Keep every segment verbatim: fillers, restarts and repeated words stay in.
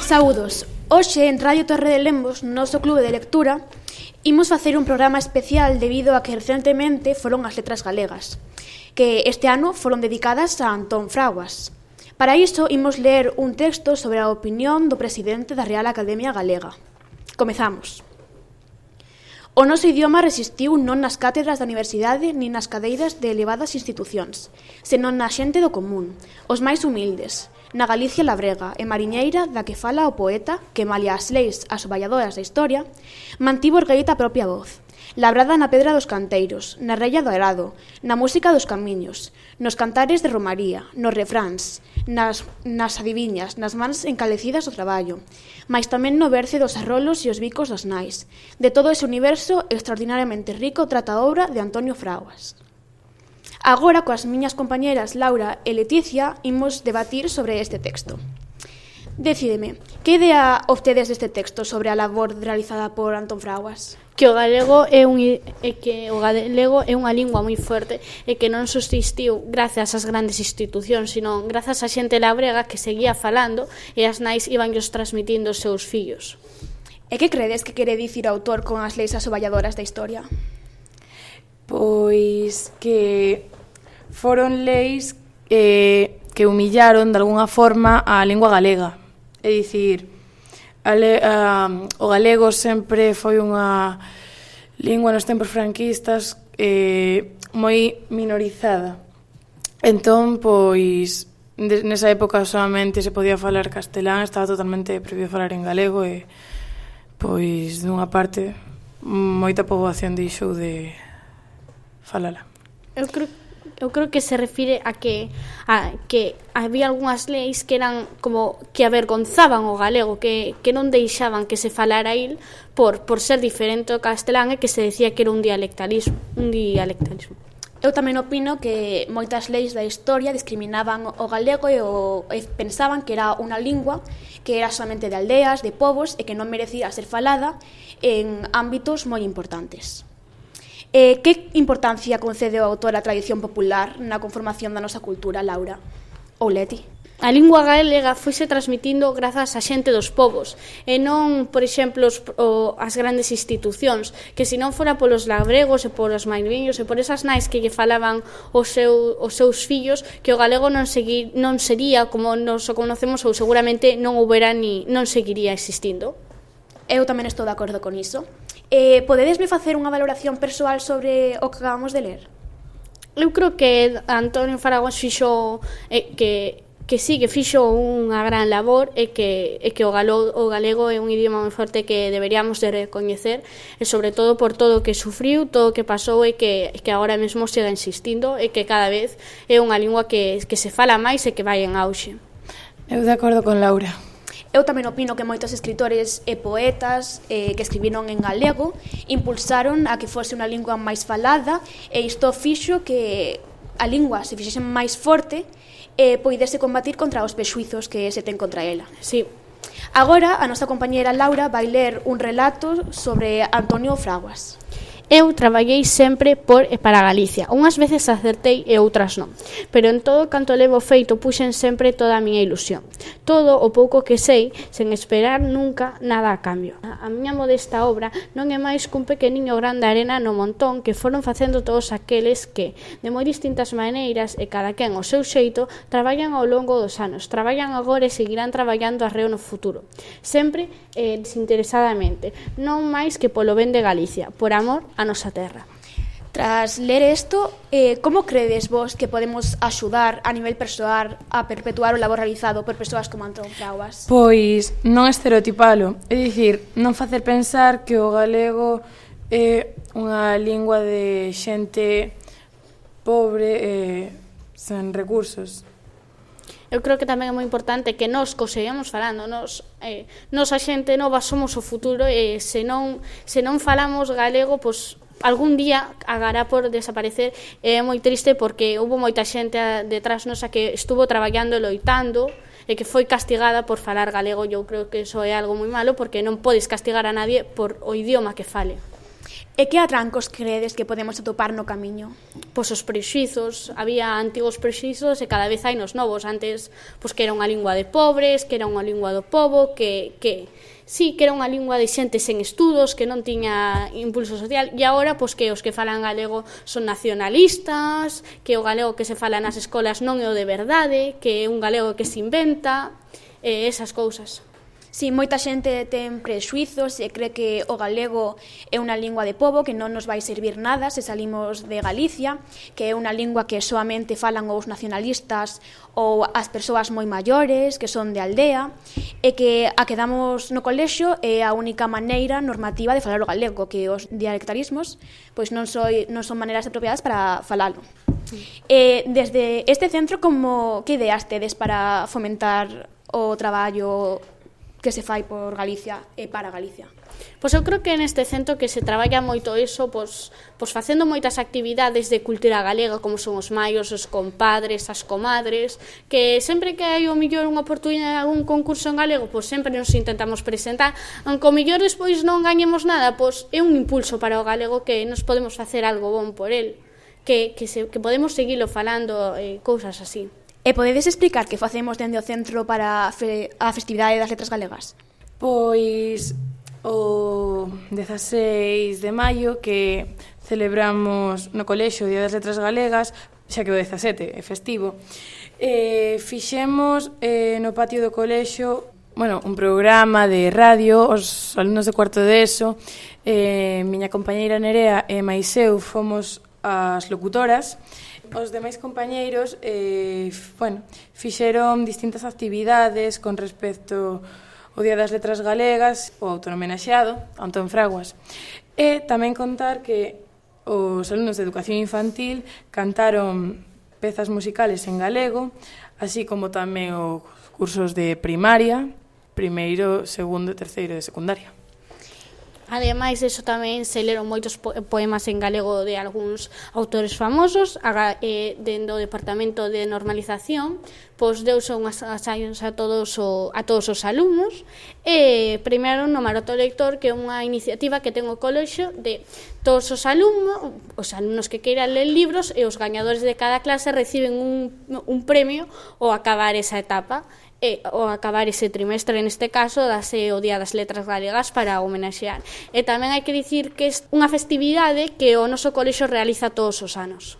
Saúdos. Hoxe en Radio Torre de Lemos, no noso clube de lectura, imos facer un programa especial debido a que recentemente foron as letras galegas, que este ano foron dedicadas a Antón Fraguas. Para iso, imos ler un texto sobre a opinión do presidente da Real Academia Galega. Comezamos. O noso idioma resistiu non nas cátedras da universidade nin nas cadeiras de elevadas institucións, senón na xente do común, os máis humildes, na Galicia labrega e mariñeira da que fala o poeta que, malia as leis asoballadoras da historia, mantivo ergueita a propia voz, labrada na pedra dos canteiros, na rella do arado, na música dos camiños, nos cantares de romaría, nos refráns, nas, nas adiviñas, nas mans encalecidas do traballo, mais tamén no verce dos arrolos e os bicos das nais, de todo ese universo extraordinariamente rico trata a obra de Antonio Fraguas. Agora, coas miñas compañeras Laura e Leticia, imos debatir sobre este texto. Decídeme, que idea obtedes deste texto sobre a labor realizada por Antón Fraguas? Que o galego é un é que o galego é unha lingua moi forte e que non subsistiu grazas ás grandes institucións, sino grazas á xente labrega que seguía falando e as nais ibanllos transmitindo os seus fillos. E que credes que quere dicir o autor con as leis asoballadoras da historia? Pois que foron leis eh, que humillaron de alguna forma a lingua galega. É dicir, a le, a, o galego sempre foi unha lingua nos tempos franquistas eh, moi minorizada. Entón, pois, de, nesa época solamente se podía falar castelán, estaba totalmente prohibido falar en galego e, pois, dunha parte, moita poboación deixou de falala. Eu creo, eu creo que se refire a que a que había algunhas leis que eran como que avergonzaban o galego, que, que non deixaban que se falara il por, por ser diferente ao castelán e que se decía que era un dialectalismo, un dialectalismo. Eu tamén opino que moitas leis da historia discriminaban o galego e, o, e pensaban que era unha lingua que era solamente de aldeas, de povos e que non merecía ser falada en ámbitos moi importantes. Eh, que importancia concede o autor á tradición popular na conformación da nosa cultura, Laura? Ou Leti? A lingua galega foise transmitindo grazas á xente dos povos e non, por exemplo, os, o, as grandes institucións, que se non fora polos labregos e polos mariñeiros e por esas nais que lle falaban os, seu, os seus fillos, que o galego non, segui, non sería como nos o conocemos ou seguramente non houbera ni non seguiría existindo. Eu tamén estou de acordo con iso. Eh, podedesme facer unha valoración persoal sobre o que acabamos de ler? Eu creo que Antonio Fraguas fixo eh, que que sí, que fixo unha gran labor e que, e que o, galo, o galego é un idioma moi forte que deberíamos de recoñecer e sobre todo por todo o que sufriu, todo o que pasou e que, que agora mesmo siga insistindo e que cada vez é unha lingua que, que se fala máis e que vai en auxe. Eu de acordo con Laura. Eu tamén opino que moitos escritores e poetas eh, que escribiron en galego impulsaron a que fose unha lingua máis falada e isto fixo que a lingua se fixese máis forte e poidese combatir contra os prexuizos que se ten contra ela. Sí. Agora, a nosa compañera Laura vai ler un relato sobre Antonio Fraguas. Eu traballei sempre por e para Galicia. Unhas veces acertei e outras non. Pero en todo canto levo feito puxen sempre toda a miña ilusión. Todo o pouco que sei, sen esperar nunca nada a cambio. A miña modesta obra non é máis cun pequeniño gran de arena no montón que foron facendo todos aqueles que, de moi distintas maneiras e cada quen ao seu xeito, traballan ao longo dos anos. Traballan agora e seguirán traballando arreo no futuro. Sempre eh, desinteresadamente. Non máis que polo ben de Galicia, por amor a nosa terra. Tras ler isto, eh, como credes vos que podemos axudar a nivel persoal a perpetuar o labor realizado por persoas como Antón Fraguas? Pois non estereotipalo, é dicir, non facer pensar que o galego é unha lingua de xente pobre e sen recursos. Eu creo que tamén é moi importante que nós que seguimos falando, nos, eh, nos a xente nova somos o futuro e se non, se non falamos galego, pois algún día agará por desaparecer. É moi triste porque houve moita xente detrás nosa que estuvo traballando e loitando e que foi castigada por falar galego. Eu creo que iso é algo moi malo porque non podes castigar a nadie por o idioma que fale. E que atrancos credes que podemos atopar no camiño? Pois os prexuizos, había antigos prexuizos e cada vez hai nos novos. Antes, pois que era unha lingua de pobres, que era unha lingua do pobo, que, que sí, que era unha lingua de xente sen estudos, que non tiña impulso social, e agora, pois que os que falan galego son nacionalistas, que o galego que se fala nas escolas non é o de verdade, que é un galego que se inventa, e esas cousas. Si, moita xente ten prexuizos e cree que o galego é unha lingua de pobo que non nos vai servir nada se salimos de Galicia, que é unha lingua que soamente falan os nacionalistas ou as persoas moi maiores, que son de aldea, e que a que damos no colexio é a única maneira normativa de falar o galego, que os dialectarismos pois non, soi, non son maneiras apropiadas para falalo. E desde este centro, como que ideas tedes para fomentar o traballo que se fai por Galicia e para Galicia? Pois eu creo que neste centro que se traballa moito iso, pois, pois facendo moitas actividades de cultura galega, como son os maios, os compadres, as comadres, que sempre que hai o millor unha oportunidade de algún concurso en galego, pois sempre nos intentamos presentar, aunque o millor despois non gañemos nada, pois é un impulso para o galego que nos podemos facer algo bon por el, que, que, se, que podemos seguilo falando, eh, cousas así. E podedes explicar que facemos dende o centro para fe, a festividade das letras galegas? Pois o dezaseis de maio que celebramos no colexio o Día das Letras Galegas, xa que o dezasete é festivo, eh, fixemos eh, no patio do colexio bueno, un programa de radio, os alumnos de cuarto de eso, eh, miña compañeira Nerea e máis eu fomos as locutoras. Os demais compañeiros eh, bueno, fixeron distintas actividades con respecto ao Día das Letras Galegas, o autonomenaxeado, Antón Fraguas. E tamén contar que os alumnos de educación infantil cantaron pezas musicales en galego, así como tamén os cursos de primaria, primeiro, segundo e terceiro de secundaria. Ademais, eso tamén se leron moitos poemas en galego de algúns autores famosos. eh, dentro do Departamento de Normalización, pois deuse unhas ensaios a todos o, a todos os alumnos e premiaron no Maroto Lector, que é unha iniciativa que ten o colexio de todos os alumnos, os alumnos que queiran ler libros, e os gañadores de cada clase reciben un, un premio ao acabar esa etapa. E, ao acabar ese trimestre, neste caso, dase o Día das Letras Galegas para homenaxear. E tamén hai que dicir que é unha festividade que o noso colexio realiza todos os anos.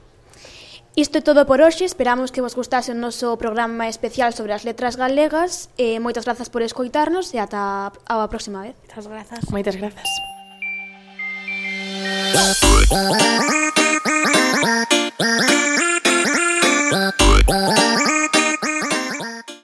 Isto é todo por hoxe, esperamos que vos gustase o noso programa especial sobre as letras galegas e moitas grazas por escoitarnos e ata a próxima vez. Moitas grazas. Moitas grazas.